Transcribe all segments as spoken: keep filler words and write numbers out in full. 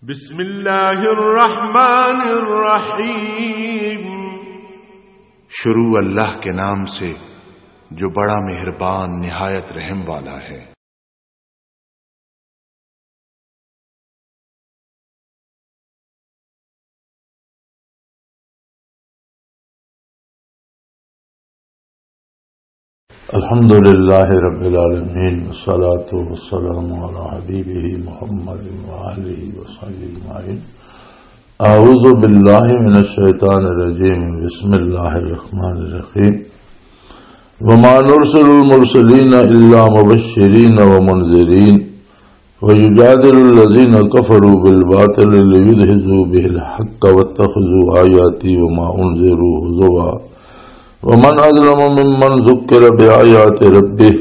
بسم اللہ الرحمن الرحیم۔ شروع اللہ کے نام سے جو بڑا مہربان نہایت رحم والا ہے۔ الحمد لله رب العالمين، والصلاة والسلام على حبيبه محمد وآله وصحبه أجمعين. أعوذ بالله من الشيطان الرجيم. بسم الله الرحمن الرحيم. وما نرسل المرسلين إلا مبشرين ومنذرين ويجادل الذين كفروا بالباطل ليدحضوا به الحق واتخذوا آياتي وما أنذروا هزوا ومن أظلم ممن ذكر بآيات ربه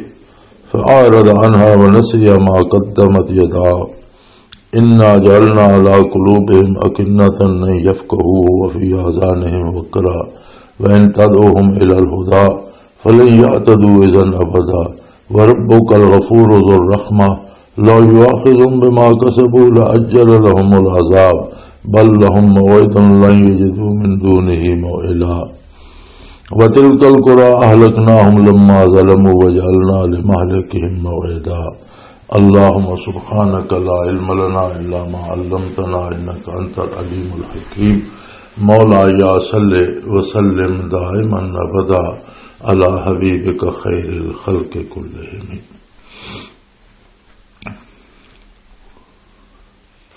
فأعرض عنها ونسي ما قدمت يداه إنا جعلنا على قلوبهم أكنة أن يفقهوه وفي آذانهم وقرا وإن تدعهم إلى الهدى فلن يهتدوا إذا أبدا وربك الغفور ذو الرحمة لو يؤاخذهم بما كسبوا لعجل لهم العذاب بل لهم موعد لن يجدوا من دونه موئلا وتلك القرى أهلكناهم لما ظلموا وجعلنا لمهلكهم موعدا. اللهم سبحانك لا علم لنا إلا ما علمتنا إنك أنت العليم الحكيم. مولاي صل وسلم دائما أبدا على حبيبك خير الخلق كلهم.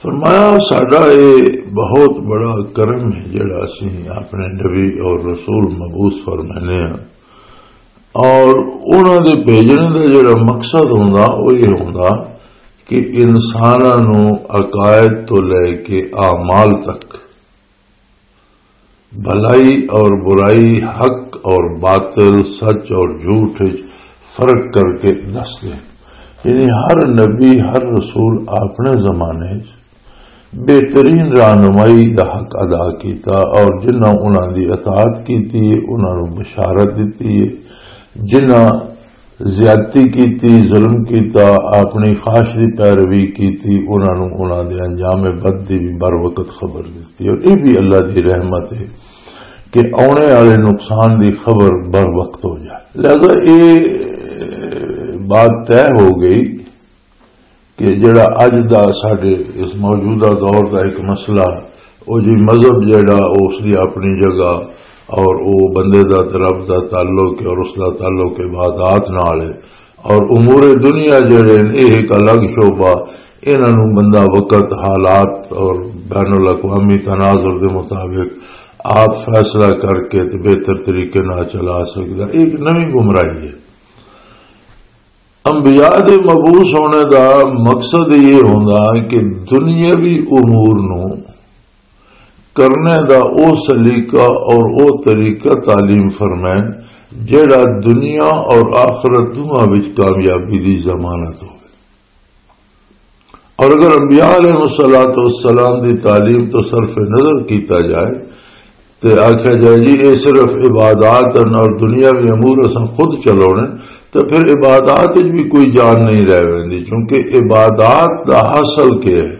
فرمایا، ساڈا یہ بہت بڑا کرم ہے جڑا اسی اپنے نبی اور رسول مبعوث فرمانے ہیں، اور انہاں دے بھیجنے دا جڑا مقصد ہوندا، وہ یہ ہوندا کہ انساناں نوں عقائد تو لے کے اعمال تک، بھلائی اور برائی، حق اور باطل، سچ اور جھوٹ وچ فرق کر کے دس دے۔ یعنی ہر نبی، ہر رسول اپنے زمانے وچ بہترین رہنمائی دا حق ادا کیتا، اور جنہاں انہاں دی اطاعت کیتی ہے، انہاں نوں بشارت دتی ہے، جنہاں زیادتی کیتی، ظلم کیتا، اپنی خواہش دی پیروی کیتی، انہاں نوں انہاں دے انجام بد دی بھی بر وقت خبر دتی۔ اور یہ بھی اللہ دی رحمت ہے کہ آنے والے نقصان دی خبر بر وقت ہو جائے۔ لہذا یہ بات طے ہو گئی کہ جڑا اج دا ساڈے اس موجودہ دور دا ایک مسئلہ، او جی مذہب جڑا، او اس دی اپنی جگہ، اور او بندے دا تے رب دا تعلق ہے، اور اس دا تعلق عبادات نال ہے، اور امور دنیا جڑے نے، یہ ایک الگ شعبہ، انہاں نوں بندہ وقت، حالات اور بین الاقوامی تناظر دے مطابق آپ فیصلہ کر کے تے بہتر طریقے نال چلا سکدا۔ یہ ایک نویں گمراہی ہے۔ انبیاء دے مبعوث ہونے دا مقصد یہ ہوندا کہ دنیاوی امور نوں کرنے دا او سلیقہ اور او طریقہ تعلیم فرمائے جڑا دنیا اور آخرت دونوں وچ کامیابی دی ضمانت ہوئے۔ اور اگر انبیاء علیہ الصلوۃ والسلام دی تعلیم تو صرف نظر کیتا جائے تے آکھیا جائے جی اے صرف عبادات ہن اور دنیاوی امور اساں خود چلاونے، تے پھر عبادات وچ بھی کوئی جان نہیں رہ ویندی، کیونکہ عبادات دا حاصل کیا ہے؟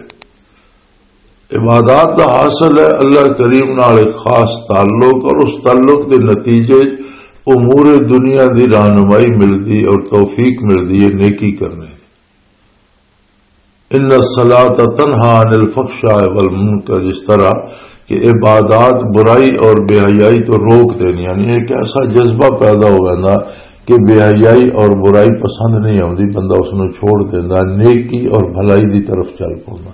عبادات دا حاصل ہے اللہ کریم نال ایک خاص تعلق، اور اس تعلق دے نتیجے وچ امور دنیا دی رہنمائی ملدی اور توفیق ملدی ہے نیکی کرنے دی۔ ان الصلاۃ تنہا عن الفحشاء والمنکر، جس طرح کہ عبادات برائی اور بے حیائی تو روک دین، یعنی ایک ایسا جذبہ پیدا ہو جانا کہ بے حیائی اور برائی پسند نہیں آتی، بندہ اس نوں چھوڑ دینا، نیکی اور بھلائی دی طرف چل پڑنا۔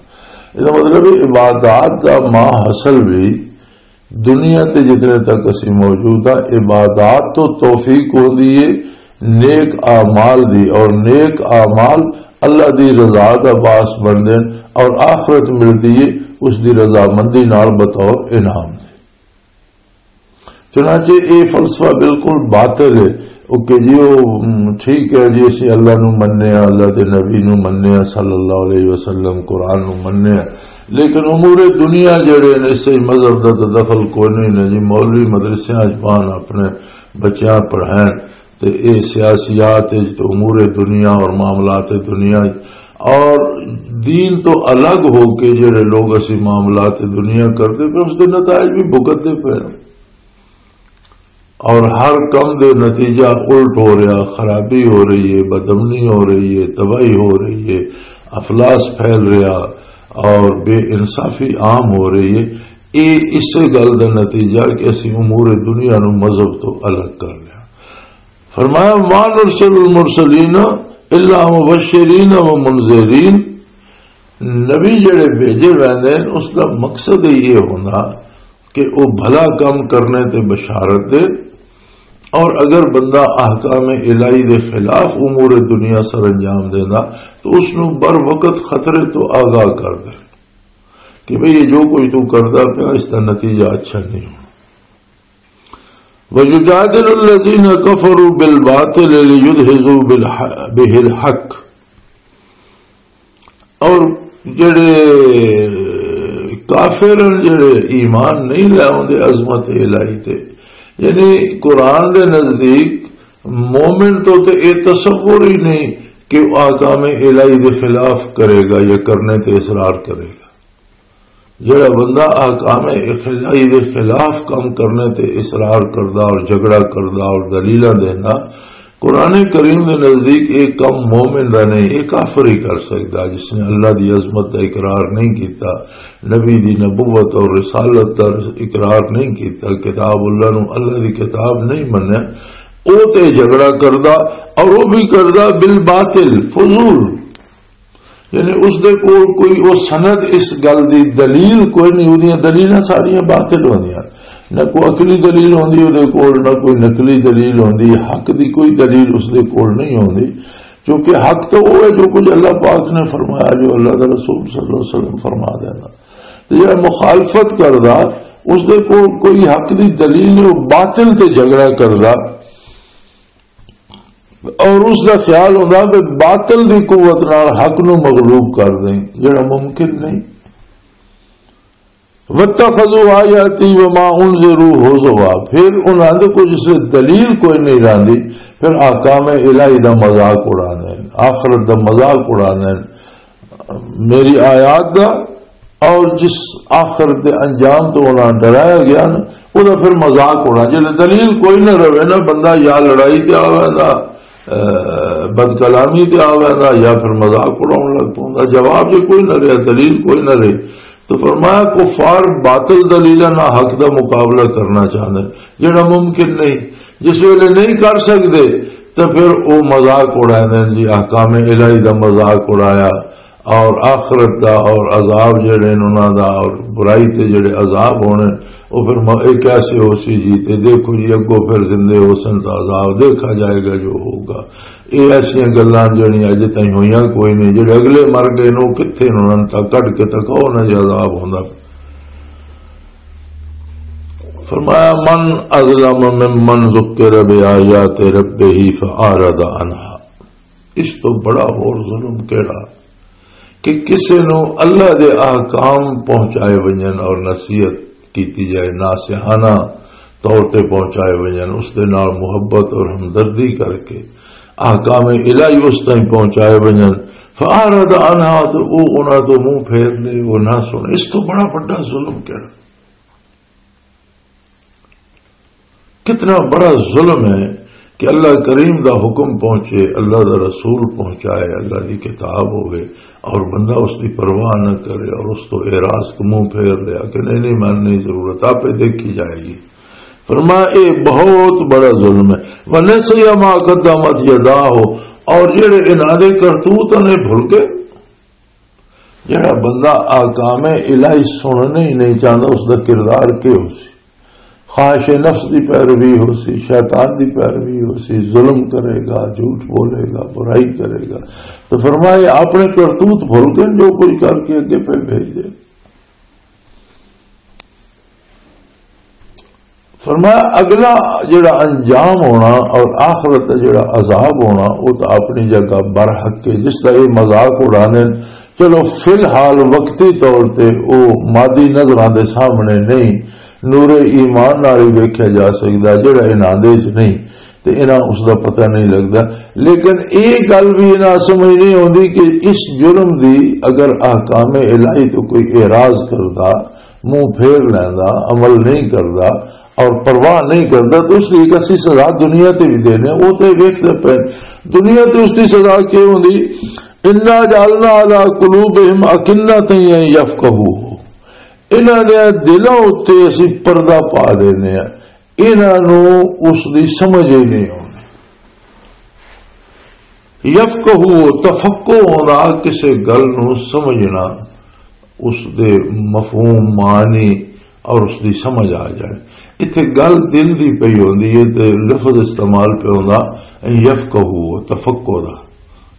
اس کا مطلب ہے عبادات کا ماں حاصل بھی دنیا تے جتنے تک اسی موجود ہاں، عبادات تو توفیق ہوندی ہے نیک اعمال دی، اور نیک اعمال اللہ دی رضا دا باعث بندے اور آخرت ملدی ہے اس دی رضامندی نال بطور انعام دے۔ چنانچہ اے فلسفہ بالکل باطل ہے۔ او کہ جی او، م، ٹھیک ہے جی، اسی اللہ نو مننے ہاں، اللہ دے نبی نو مننے ہاں صلی اللہ علیہ وسلم، قرآن نو مننے ہاں، لیکن امور دنیا جڑے نے، اس سے مذہب دا تے دخل کوئی نہیں نے جی۔ مولوی مدرسیاں اچ پان اپنے بچیاں پڑھائن تے اے سیاسیات اچ تے امور دنیا اور معاملات دنیا اچ اور دین تو الگ ہو کے جڑے لوگ اسی معاملات دنیا کرتے پے، اس دے نتائج بھی بھگتتے پے۔ اور ہر کم دے نتیجہ الٹ ہو رہا، خرابی ہو رہی ہے، بدامنی ہو رہی ہے، تباہی ہو رہی ہے، افلاس پھیل رہا اور بے انصافی عام ہو رہی ہے۔ یہ اسی گل دا نتیجہ کہ اسی امور دنیا نو مذہب تو الگ کر لیا۔ فرمایا، "ما نرسل المرسلین الا مبشرین و منذرین۔" نبی جڑے بھیجے ویندے نے، اس دا مقصد یہ ہونا کہ وہ بھلا کام کرنے تے بشارت دے، اور اگر بندہ احکام الہی دے خلاف امور دنیا سر انجام دینا تو اس نو بر وقت خطرے تو آگاہ کر دے کہ بھئی، یہ جو کوئی تو کردا پیا، اس دا نتیجہ اچھا نہیں ہونا۔ وَيُجَادِلُ الَّذِينَ كَفَرُوا بِالْبَاطِلِ لِيُدْحِضُوا بِالْحَ-، بِهِ الْحَقَّ۔ اور جڑے کافر ہیں، جڑے ایمان نہیں لے آوندے عظمت الہی تے، یعنی قرآن دے نزدیک مومن تو تے اے تصور ہی نہیں کہ وہ احکام الہی دے خلاف کرے گا یا کرنے تے اصرار کرے گا۔ جڑا بندہ احکام الہی دے خلاف کام کرنے تے اصرار کردا اور جھگڑا کردا اور دلیلاں دیندا، قرآن کریم دے نزدیک ایک کم مومن دا نہیں، ایک کافر ہی کر سکدا، جس نے اللہ دی عظمت دا اقرار نہیں کیتا، نبی دی نبوت اور رسالت دا اقرار نہیں کیتا، کتاب اللہ نو اللہ دی کتاب نہیں منیا، او تے جھگڑا کردا، اور وہ بھی کردا بالباطل، فضول۔ یعنی اس دے کول کوئی، او سند، اس گل دی دلیل کوئی نہیں، اودیاں دلیلاں ساریاں باطل ہوندیاں۔ نہ کوئی عقلی دلیل ہوندی اودے کول، نہ کوئی نقلی دلیل ہوندی، حق دی کوئی دلیل اس دے کول نہیں ہوندی، کیونکہ حق تو وہ ہے جو کچھ اللہ پاک نے فرمایا، جو اللہ دا رسول صلی اللہ علیہ وسلم فرما دینا۔ تے جڑا مخالفت کردا، اس دے کول کوئی حق دی دلیل نہیں، وہ باطل تے جھگڑا کردا۔ اور اس دا خیال ہوندا کہ باطل دی قوت نال حق نو مغلوب کر دیں، جڑا ممکن نہیں۔ وَاتَّخَذُوا آيَاتِي وَمَا أُنذِرُوا هُزُوًا، پھر انہاں دے کچھ اس دلیل کوئی نہیں رہندی، پھر احکام الہی دا مذاق اڑاندے ہیں، آخرت دا مذاق اڑاندے ہیں۔ میری آیات دا اور جس آخرت دے انجام تو انہاں ڈرایا گیا نا، وہ دا پھر مذاق ہونا۔ جے دلیل کوئی نہ رہے نا، بندہ یا لڑائی تے آ ویندا، اے، بد کلامی تے آ ویندا، یا پھر مذاق اڑاؤن لگ پوندا۔ جواب جے کوئی نہ رہے، دلیل کوئی نہ رہے، تو فرمایا، کفار باطل دلیلاں نال حق دا مقابلہ کرنا چاہندے، جڑا ممکن نہیں۔ جس ویلے نہیں کر سکدے، تے پھر او مذاق اڑاندے نے جی، احکام الہی دا مذاق اڑایا، اور آخرت دا اور عذاب جڑے نے انہاں دا، اور برائی تے جڑے عذاب ہونے، او پھر م-، اے کیسے ہو سی جی؟ تے دیکھو جی، اگوں پھر زندے ہو سن تاں عذاب دیکھا جائے گا جو ہوگا۔ اے ایسیاں گلاں جڑیاں اجے تائیں ہویاں کوئی نہیں، جڑے اگلے مر گئے نے، او کتھے نے؟ انہاں تاں کڈ کے تکاؤ نہ جے عذاب ہوندا۔ فرمایا، "من اظلم ممن ذکر بآیات ربہ فاعرض عنہا۔" اس تو بڑا ہور ظلم کیڑا کہ کسے نو اللہ دے احکام پہنچائے ونجن اور نصیحت کیتی جائے، ناصحانہ طور تے پہنچائے ونجن، اس دے نال محبت اور ہمدردی کر کے احکام الہی اس تائیں پہنچائے ونجن، فاعرض عنہا، تو او انہاں تو منہ پھیر لے، وہ نہ سنے۔ اس تو بڑا بڑا ظلم کیڑا؟ کتنا بڑا ظلم ہے کہ اللہ کریم دا حکم پہنچے، اللہ دا رسول پہنچائے، اللہ دی کتاب ہوئے اور بندہ اس دی پرواہ نہ کرے اور اس تو اعراض، منہ پھیر لیا کہ نہیں، نہیں، من نہیں ضرورت، آپے دیکھی جائے گی۔ فرمایا، اے بہت بڑا ظلم ہے۔ وَنَسِيَ مَا قَدَّمَتْ يَدَاهُ، اور جڑے انہاں دے کرتوت نے بھل گئے۔ جڑا بندہ احکام الہی سننے ہی نہیں چاہتا، اس دا کردار کیا ہو سی؟ خواہش نفس دی پیروی ہو سی، شیطان دی پیروی ہو سی، ظلم کرے گا، جھوٹ بولے گا، برائی کرے گا۔ تو فرمایا، اپنے کرتوت بھول کے جو کچھ کر کے اگے پہ بھیج دے۔ فرمایا، اگلا جڑا انجام ہونا اور آخرت دا جڑا عذاب ہونا، وہ تو اپنی جگہ برحق ہے۔ جس طرح یہ مذاق اڑانے، چلو، فی الحال وقتی طور تے وہ مادی نظراں دے سامنے نہیں، نور ایمان نال ہی ویکھیا جا سکدا، جڑا انہاں دے وچ نہیں۔ تے انہاں اس دا پتہ نہیں لگدا۔ لیکن اے گل بھی انہاں سمجھ نہیں آندی کہ اس جرم دی اگر احکام الہی تو کوئی اعراض کردا، منہ پھیر لیندا، عمل نہیں کردا اور پرواہ نہیں کردا، تو اس دی ایک اسی سزا دنیا تے بھی دینے، وہ تے ویکھدے پے۔ دنیا تے اس دی سزا کی ہوندی؟ "انا جعلنا علی قلوبہم اکنۃ ان یفقہوہ"، انہاں دے دلاں اُتے اسی پردہ پا دینے ہیں، انہاں نوں اس دی سمجھ ہی نہیں آندی۔ یفقہو، تفقہ ہونا، کسے گل نوں سمجھنا، اس دے مفہوم، معنی اور اس دی سمجھ آ جائے۔ اتھے گل دل دی پئی ہوندی ہے تے لفظ استعمال پہ ہوندا یفقہو، تفقہ دا۔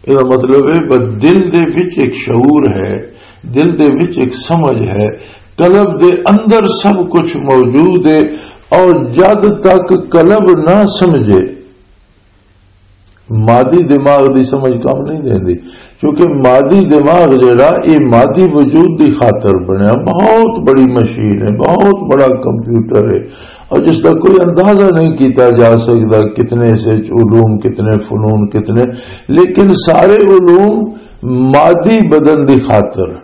یہ مطلب ہے، بس دل دے وچ ایک شعور ہے، دل دے وچ ایک سمجھ ہے، قلب دے اندر سب کچھ موجود ہے، اور جد تک قلب نہ سمجھے، مادی دماغ دی سمجھ کم نہیں دیندی، کیونکہ مادی دماغ جڑا، یہ مادی وجود دی خاطر بنیا، بہت بڑی مشین ہے، بہت بڑا کمپیوٹر ہے، اور جس کا کوئی اندازہ نہیں کیتا جا سکتا، کتنے سے علوم، کتنے فنون، کتنے، لیکن سارے علوم مادی بدن دی خاطر،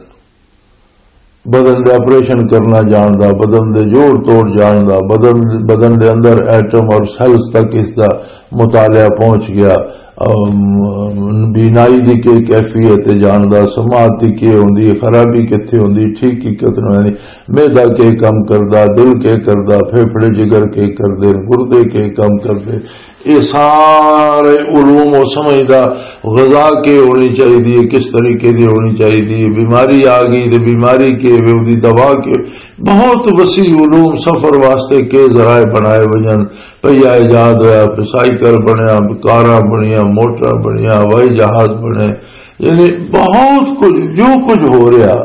بدن دے آپریشن کرنا جان دا، بدن دے جوڑ توڑ جان دا، بدن، بدن دے اندر ایٹم اور سیلز تک اس دا مطالعہ پہنچ گیا۔ ام، بینائی دی کے کیفیت ہے جان دا، سماعت دی کے ہوندی ہے، خرابی کتھے ہوندی، ٹھیک کی کتھے ہوندی، معدہ کے کم کردا، دل کے کردا، پھیپھڑے جگر کے کردے، گردے کے کم کردے، یہ سارے علوم و سمجھدا، غذا کے ہونی چاہیے، کس طریقے دی ہونی چاہیے، بیماری آ گئی تے بیماری کے وے، اودی دوا کے، بہت وسیع علوم، سفر واسطے کے ذرائع بنائے وجن، پہیا ایجاد ہویا، پھر سائیکل بنیا، کاراں بنیاں، موٹر بنیاں، ہوائی جہاز بنے، یعنی بہت کچھ، جو کچھ ہو رہا،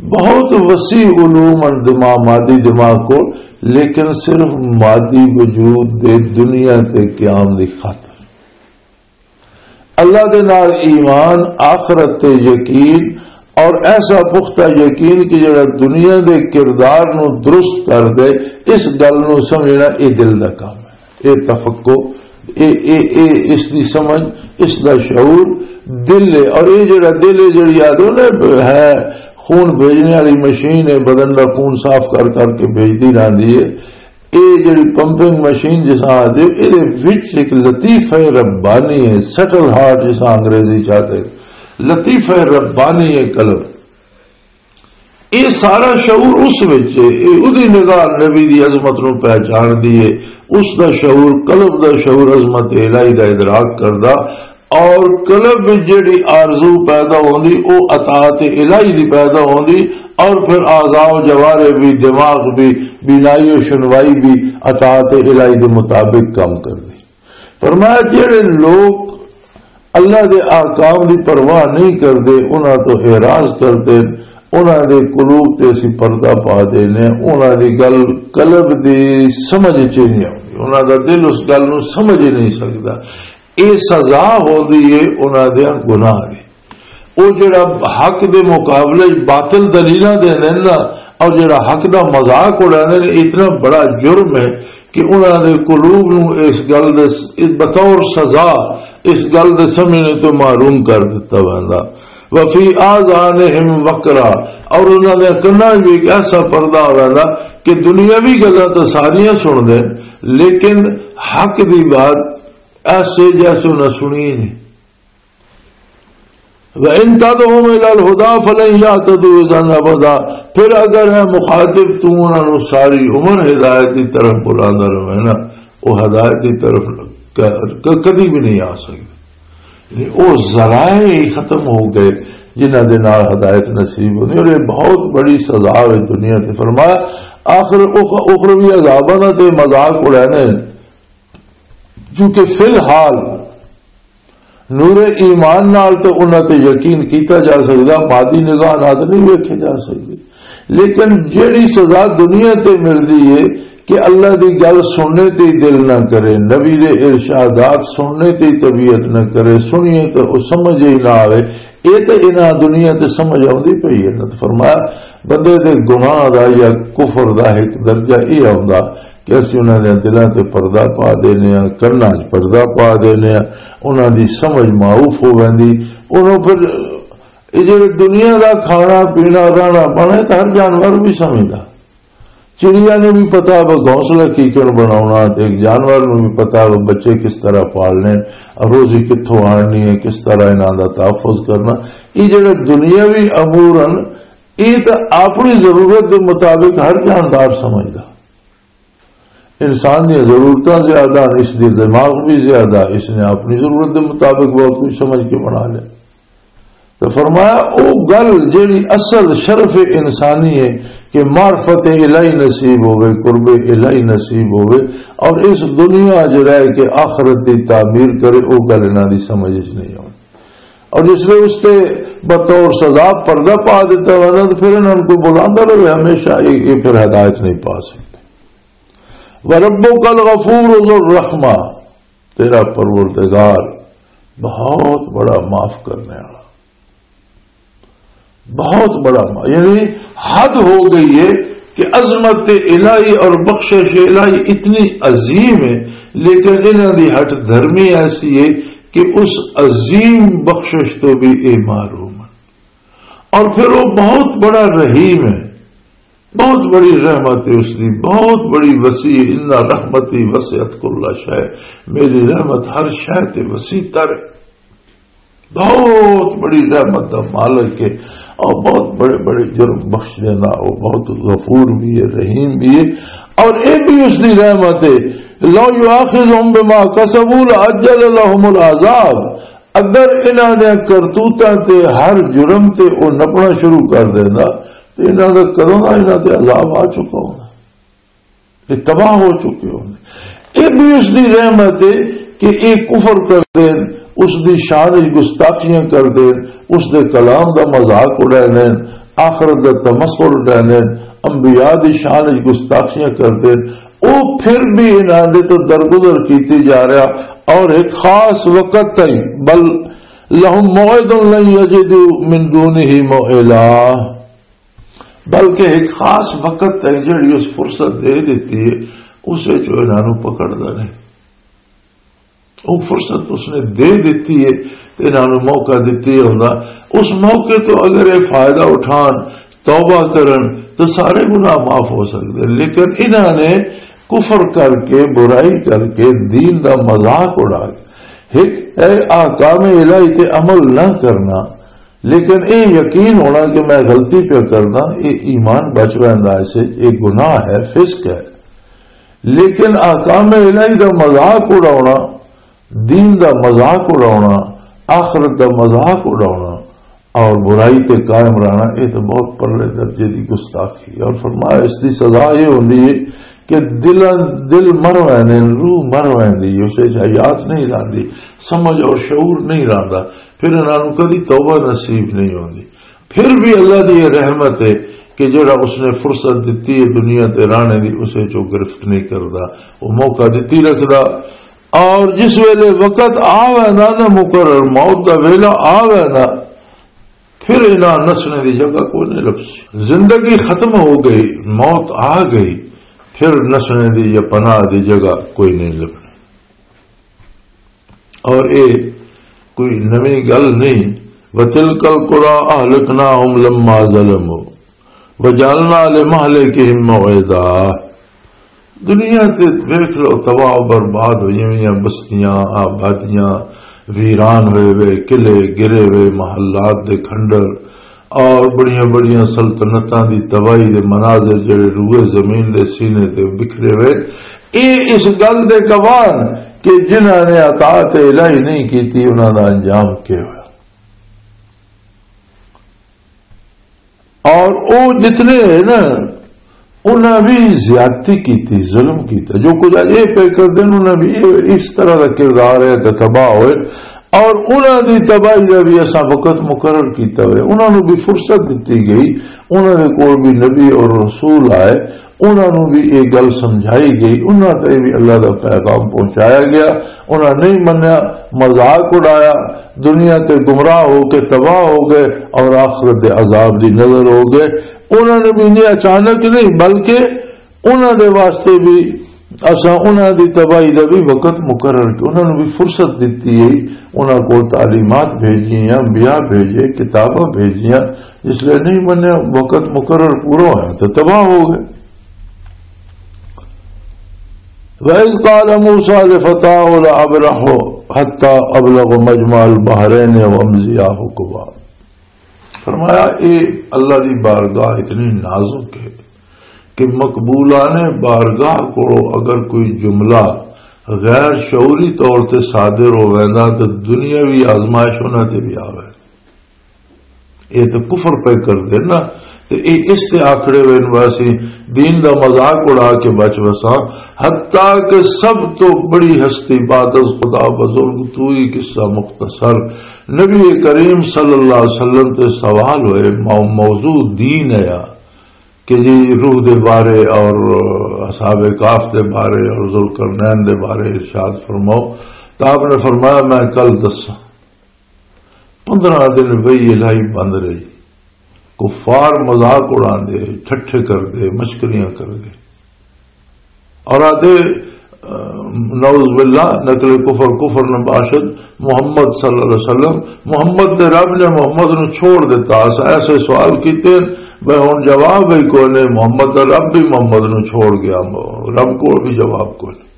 بہت وسیع علوم ان دماغ، مادی دماغ کو، لیکن صرف مادی وجود دے دنیا تے قیام دی خاطر۔ اللہ دے نال ایمان، آخرت تے یقین، اور ایسا پختہ یقین کہ جڑا دنیا دے کردار نو درست کر دے، اس گل نو سمجھنا، اے دل دا کام ہے۔ اے تفقہ، اے، اے، اے اس دی سمجھ، اس دا شعور دل ہے۔ اور اے جڑا دل ہے، جڑی آدھو نا ہے، خون بھیجنے والی مشین ہے، بدن دا خون صاف کر کر کے بھیجدی رہندی ہے۔ اے جڑی پمپنگ مشین جس آدھے، اے دے وچ ایک لطیفہ ربانی ہے، سٹل ہارٹ جس انگریزی چاہتے، لطیفہ ربانی ہے قلب۔ یہ سارا شعور اس وچ ہے، یہ اودی نگاہ نبی دی عظمت نو پہچان دی ہے، اس دا شعور، قلب دا شعور عظمت الہی دا ادراک کردا، اور قلب وچ جڑی آرزو پیدا ہوندی، او اطاعت الہی دی پیدا ہوندی، اور پھر اعضاء و جوارح بھی، دماغ بھی، بینائی و شنوائی بھی اطاعت الہی دے مطابق کام کردی۔ فرمایا، جڑے لوگ اللہ دے احکام دی پرواہ نہیں کردے، انہاں تو اعراض کردے، انہاں دے قلوب تے اسی پردہ پا دینے، انہاں دی گل قلب دی سمجھ چ نہیں آندی، انہاں دا دل اس گل نو سمجھ ہی نہیں سکدا۔ اے سزا ہوندی ہے انہاں دے گناہ دی۔ او جڑا حق دے مقابلے وچ باطل دلیلاں دیندے نے نا، اور جڑا حق دا مذاق اڑاندے نے، اتنا بڑا جرم ہے کہ انہاں دے قلوب نوں اس گل دے س-، بطور سزا اس گل دے سمجھنے تو محروم کر دتا ویندا۔ وفی آذانہم وقرا، اور انہاں دے کناں وچ بھی ایک ایسا پردہ ہو ویندا کہ دنیاوی گلاں تو ساریاں سن دے، لیکن حق دی بات ایسے جیسے انہاں سنی نہیں۔ وَإِن تَدْعُهُمْ إِلَى الْهُدَى فَلَن يَهْتَدُوا إِذًا أَبَدًا۔ پھر اگر ہے مخاطب، تو انہاں نوں ساری عمر ہدایت دی طرف بلاندا رہے نا، وہ ہدایت دی طرف ک-، ک-، کدی بھی نہیں آ سکدے۔ یعنی وہ ذرائع ہی ختم ہو گئے جنہاں دے نال ہدایت نصیب ہوندی، اور یہ بہت بڑی سزا ہے دنیا تے۔ فرمایا، آخر اخ-، اخروی عذاباں دا تے مذاق اڑانے، کیونکہ فی الحال نور ایمان نال تے انہاں تے یقین کیتا جا سکدا، مادی نگاہ نال تے نہیں ویکھے جا سکدے۔ لیکن جیڑی سزا دنیا تے ملدی ہے کہ اللہ دی گل سننے تے ہی دل نہ کرے، نبی دے ارشادات سننے تے ہی طبیعت نہ کرے، سنیے تے او سمجھ ہی نہ آوے، اے تے انہاں دنیا تے سمجھ آوندی پئی ہے۔ نہ تے فرمایا، بندے دے گناہ دا یا کفر دا ایک درجہ اے آوندا کہ اسی انہاں دے دلاں تے پردہ پا دینے آ، کناں 'چ پردہ پا دینے آ، انہاں دی سمجھ معاف ہو ویندی۔ انہوں پھر یہ جڑے دنیا دا کھانا پینا، رہنا پانا، یہ تو ہر جانور بھی سمجھدا۔ چڑیا نوں بھی پتا وہ گھونسلہ کیکر بناونا، تے ایک جانور نوں بھی پتا وہ بچے کس طرح پالنے، روزی کتھوں آننی ہے، کس طرح انہاں دا تحفظ کرنا۔ یہ جڑے دنیاوی امور ہن، یہ تو اپنی ضرورت دے مطابق ہر جاندار سمجھدا۔ انسان دی ضرورتاں زیادہ ہن، اس دی دماغ بھی زیادہ، اس نے اپنی ضرورت دے مطابق بہت کچھ سمجھ کے بنا لیا۔ تو فرمایا، او گل جیڑی اصل شرف انسانی ہے کہ معرفت الہی نصیب ہوئے، قرب الہی نصیب ہوئے، اور اس دنیا 'چ رہ کے آخرت دی تعمیر کرے، او گل انہاں دی سمجھ 'چ نہیں آؤندی۔ اور جس لئے اس تے بطور سزا پردہ پا دیتا ہوا نا، تو پھر انہاں کو بلاتا رہے ہمیشہ، یہ یہ پھر ہدایت نہیں پا سکتے۔ وَرَبُّكَ الْغَفُورُ ذُو الرَّحْمَةِ، تیرا پروردگار بہت بڑا معاف کرنے والا، بہت بڑا معاف، یعنی حد ہو گئی ہے کہ عظمت الہی اور بخشش الہی اتنی عظیم ہے، لیکن انہاں دی ہٹ دھرمی ایسی ہے کہ اس عظیم بخشش تو بھی اے محروم ہے۔ اور پھر وہ بہت بڑا رحیم ہے، بہت بڑی رحمت ہے اس دی، بہت بڑی وسیع، ان رحمتی وسعت کل شے، میری رحمت ہر شے تے وسیع تر ہے۔ بہت بڑی رحمت دا مالک ہے اور بہت بڑے بڑے جرم بخش دینا، وہ بہت غفور بھی ہے، رحیم بھی ہے۔ اور اے بھی اس دی رحمت ہے، لو یؤاخذہم بما کسبوا لعجل لہم العذاب، اگر انہاں دے کرتوتاں تے ہر جرم تے او نپنا شروع کر دیندا، تے انہاں دا کدوں دا انہاں تے عذاب آ چکا ہونا، یہ تباہ ہو چکے ہونے۔ یہ بھی اس دی رحمت ہے کہ یہ کفر کر دین، اس دی شان وچ گستاخیاں کر دین، اس دے کلام دا مذاق اڑا دین، آخرت دا تمسخر اڑا دین، انبیاء دی شان وچ گستاخیاں کر دین، او پھر بھی انہاں دے تو درگزر کیتی جا رہا۔ اور ایک خاص وقت تائیں، بل لہم موعد لن یجدوا من دونہ موئلا، بلکہ ایک خاص وقت تائیں جڑی اس فرصت دے دیتی ہے، اس وچ او انہاں نوں پکڑدا نہیں۔ وہ فرصت اس نے دے دیتی ہے تے انہاں نوں موقع دتی ہوندا، اس موقع تو اگر یہ فائدہ اٹھان، توبہ کرن، تو سارے گناہ معاف ہو سکتے۔ لیکن انہاں نے کفر کر کے، برائی کر کے، دین دا مذاق اڑا کے، ایک اے احکام الہی تے عمل نہ کرنا، لیکن اے یقین ہونا کہ میں غلطی پہ کرنا، اے ایمان بچ ویندا، اسے اے گناہ ہے، فسق ہے۔ لیکن احکام الہی دا مذاق اڑاونا، دین دا مذاق اڑاونا، آخرت دا مذاق اڑاونا اور برائی تے قائم رہنا، یہ تو بہت پرلے درجے دی گستاخی ہے۔ اور فرمایا، اس دی سزا یہ ہوندی ہے کہ دل، دل مر ویندے، روح مر ویندی، اسے حیات نہیں رہندی، سمجھ اور شعور نہیں رہندا، پھر انہاں نوں کدی توبہ نصیب نہیں ہوندی۔ پھر بھی اللہ دی یہ رحمت ہے کہ جڑا اس نے فرصت دتی ہے دنیا تے رانے دی، اسے چوں گرفت نہیں کردا، وہ موقع دتی رکھدا۔ اور جس ویلے وقت آ ویندا نا، مقرر موت دا ویلا آ ویندا، پھر انہاں نسنے دی جگہ کوئی نہیں لبسی۔ زندگی ختم ہو گئی، موت آ گئی، پھر نسنے دی یا پناہ دی جگہ کوئی نہیں لبنی۔ اور اے کوئی نویں گل نہیں۔ وَتِلْكَ الْقُرَىٰ أَهْلَكْنَاهُمْ لَمَّا ظَلَمُوا وَجَعَلْنَا لِمَهْلِكِهِم مَّوْعِدًا۔ دنیا تے ویکھ لو، تباہ و برباد ہوئی ہوئیاں بستیاں، آبادیاں، ویران ہوئے ہوئے قلعے، گرے ہوئے محلات دے کھنڈر، اور بڑیاں بڑیاں سلطنتاں دی تباہی دے مناظر جڑے روئے زمین دے سینے تے بکھرے ہوئے، اے اس گل دے گواہ ہن کہ جنہاں نے اطاعت الہی نہیں کیتی، انہاں دا انجام کیا ہویا۔ اور او جتنے ہیں نا، انہاں بھی زیادتی کیتی، ظلم کیتا۔ جو کچھ اج اے پہ کر دین، انہاں بھی اے، اس طرح دا کردار ہے تے تباہ ہوئے۔ اور انہاں دی تباہی دا بھی اساں وقت مقرر کیتا ہوئے، انہاں نوں بھی فرصت دتی گئی، انہاں دے کول بھی نبی اور رسول آئے، انہاں نوں بھی یہ گل سمجھائی گئی، انہاں تے بھی اللہ دا پیغام پہنچایا گیا، انہاں نہیں منیا، مذاق اڑایا، دنیا تے گمراہ ہو کے تباہ ہو گئے اور آخرت دے عذاب دی نظر ہو گئے۔ انہاں نے بھی یہ اچانک نہیں، بلکہ انہاں دے واسطے بھی اساں انہاں دی تباہی دا بھی وقت مقرر کیا، انہاں نوں بھی فرصت دتی ہے، انہاں کول تعلیمات بھیجیاں، انبیاء بھیجے، کتاباں بھیجیاں، جس لئے نہیں منیا، وقت مقرر پورا ہویا تے تباہ ہو گئے۔ وَإِذْ قَالَ مُوسَىٰ لِفَتَاهُ لَأَبْرَحُ حَتَّىٰ أَبْلُغَ مَجْمَعَ الْبَحْرَيْنِ أَوْ أَمْضِيَ حُقُبًا۔ فرمایا، اے اللہ دی بارگاہ اتنی نازک ہے کہ مقبولان بارگاہ کو اگر کوئی جملہ غیر شعوری طور تے صادر ہو ویندا تے دنیاوی آزمائش انہاں تے بھی آوے۔ یہ تو کفر پہ کر دے نا، تے اے اس تے آکڑے ہوئے نو اسی دین دا مذاق اڑا کے بچ وساں، حتیٰ کہ سب تو بڑی ہستی بعد از خدا بزرگ تو ہی قصہ مختصر نبی کریم صلی اللہ علیہ وسلم تے سوال ہوئے، مو-، موضوع دین ہے یا کہ جی روح دے بارے اور اصحاب کاف دے بارے اور ذوالقرنین دے بارے ارشاد فرماؤ۔ تو آپ نے فرمایا، میں کل دساں۔ پندرہ دن وہی الہی بند رہی۔ کفار مذاق اڑاندے، ٹھٹھے کردے، مشکریاں کردے۔ اور آدھے، اہ، نعوذ باللہ، نقل کفر کفر نہ باشد، محمد صلی اللہ علیہ وسلم، محمد دے رب نے محمد نو چھوڑ دیتا۔ اس ایسے سوال کیتے، میں ہن جواب ہی کوئی نہیں، محمد دا رب بھی محمد نو چھوڑ گیا، رب کو بھی جواب کوئی نہیں۔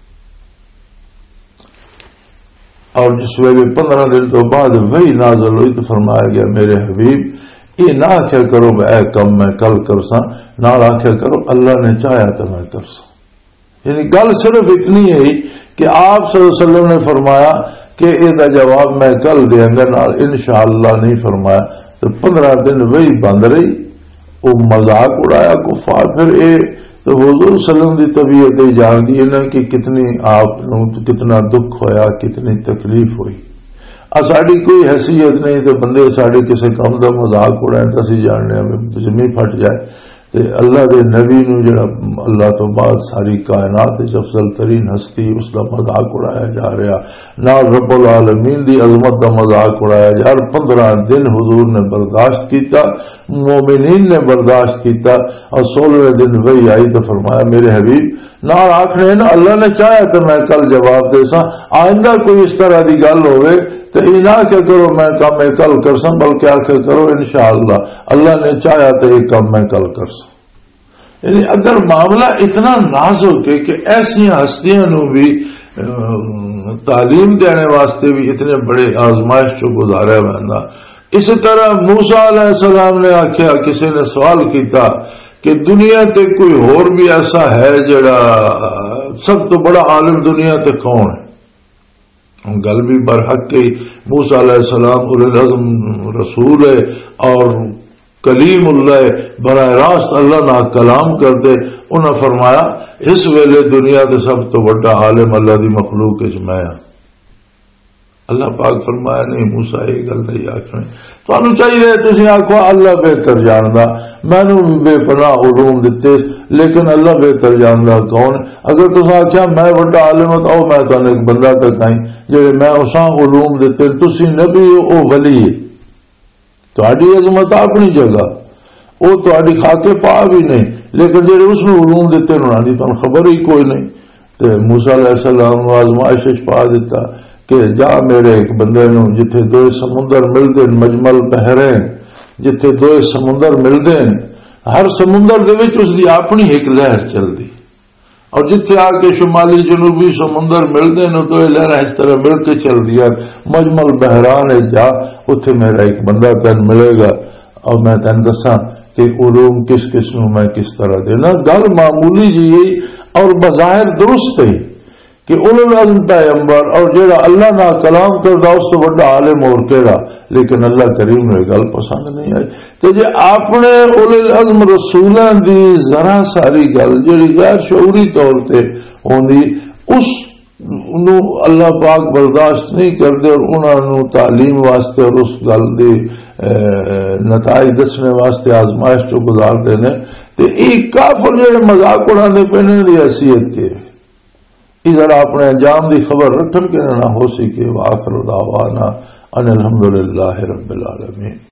اور جس ویلے پندرہ دن تو بعد وحی نازل ہوئی تو فرمایا گیا، میرے حبیب، یہ نہ آخیا کرو، اے کم میں کل کرساں، نال آخیا کرو، اللہ نے چاہیا تو میں کرساں۔ یعنی گل صرف اتنی ہے کہ آپ صلی اللہ علیہ وسلم نے فرمایا کہ اے دا جواب میں کل دیاں گا، نال انشاءاللہ نہیں فرمایا۔ تو پندرہ دن وہی بند رہی، وہ مذاق اڑایا کفار۔ پھر اے تو حضور صلی اللہ علیہ وسلم دی طبیعت ہی جان دی ہے نا کہ کتنی آپ نوں کتنا دکھ ہویا، کتنی تکلیف ہوئی۔ آ ساڈی کوئی حیثیت نہیں تے بندے ساڈے کسے کم دا مذاق اڑائیں تے اسی جاننے ہمیں زمین پھٹ جائے۔ تے اللہ دے نبی نو جڑا اللہ تو بعد ساری کائنات وچ افضل ترین ہستی، اس دا مذاق اڑایا جا رہا، نال رب العالمین دی عظمت دا مذاق اڑایا جا رہا۔ پندرہ دن حضور نے برداشت کیتا، مومنین نے برداشت کیتا، اور سولہویں دن وحی آئی تو فرمایا، میرے حبیب، نال آکھنے نا، اللہ نے چاہیا تے میں کل جواب دے ساں۔ آئندہ کوئی اس طرح دی گل ہوئے تے اے نہ آکھیا کرو میں کم اے کل کرساں، بلکہ آکھیا کرو انشاءاللہ اللہ نے چاہیا تے اے کم میں کل کرساں۔ یعنی اگر معاملہ اتنا نازک ہے کہ ایسی ہستیاں نو بھی، اہ، تعلیم دینے واسطے بھی اتنے بڑے آزمائش چوں گزاریا ویندا۔ اسی طرح موسیٰ علیہ السلام نے آکھیا، کسی نے سوال کیتا کہ دنیا تے کوئی ہور بھی ایسا ہے جڑا سب تو بڑا عالم دنیا تے کون ہے؟ ہن گل بھی برحق ہے، موسیٰ علیہ السلام اولو العزم رسول ہے اور کلیم اللہ ہے، براہ راست اللہ نال کلام کردے۔ انہاں فرمایا، اس ویلے دنیا تے سب تو وڈا عالم اللہ دی مخلوق وچ میں ہاں۔ اللہ پاک فرمایا، نہیں موسیٰ، یہ گل نہیں آکھنی۔ تانوں چاہیے تسی آکھو، اللہ بہتر جاندا، مینوں بھی بے پناہ علوم دتے، لیکن اللہ بہتر جاندا کون؟ اگر تساں آکھیا، میں وڈا عالم ہاں، تو آؤ میں تانوں ایک بندہ تکائیں، جڑے میں اساں علوم دتے، تسی نبی ہو، او ولی ہے۔ تہاڈی عظمت اپنی جگہ، او تہاڈی خاکے پا بھی نہیں، لیکن جڑے اس نوں علوم دتے انہاں دی تانوں خبر ہی کوئی نہیں۔ تے موسیٰ علیہ السلام نوں آزمائش وچ پا دتا کہ جا میرے ایک بندے نوں، جتھے دوئے سمندر ملدے نے، مجمع البحرین، جتھے دوئے سمندر ملدے نے، ہر سمندر دے وچ اس دی اپنی ایک لہر چلدی۔ اور جتھے آ کے شمالی جنوبی سمندر ملدے نے، تو یہ لہراں اس طرح مل کے چلدیاں۔ مجمع البحران ہے، جا اتھے میرا ایک بندہ تین ملے گا اور میں تین دساں کہ علوم کس کس نوں میں کس طرح دینا۔ گل معمولی جی ہے اور بظاہر درست ہے کہ اولو العزم پیغمبر اور جڑا اللہ نال کلام کردا اس تو بڑا عالم اور کیڑا، لیکن اللہ کریم نوں یہ گل پسند نہیں آئی۔ تے جے اپنے اولو العزم رسولاں دی ذرا ساری گل جڑی غیر شعوری طور تے ہوندی، اس نو اللہ پاک برداشت نہیں کردے اور انہاں نو تعلیم واسطے اور اس گل دے، اے، نتائج دسنے واسطے آزمائش چوں گزار دے نے۔ تے اے کافر جڑے مذاق اڑاندے پے نے، انہاں دی حیثیت کے؟ اے ذرا اپنے انجام دی خبر رکھن کہ نہ ہو سکے۔ وآخر دعوانا ان الحمدللہ رب العالمین۔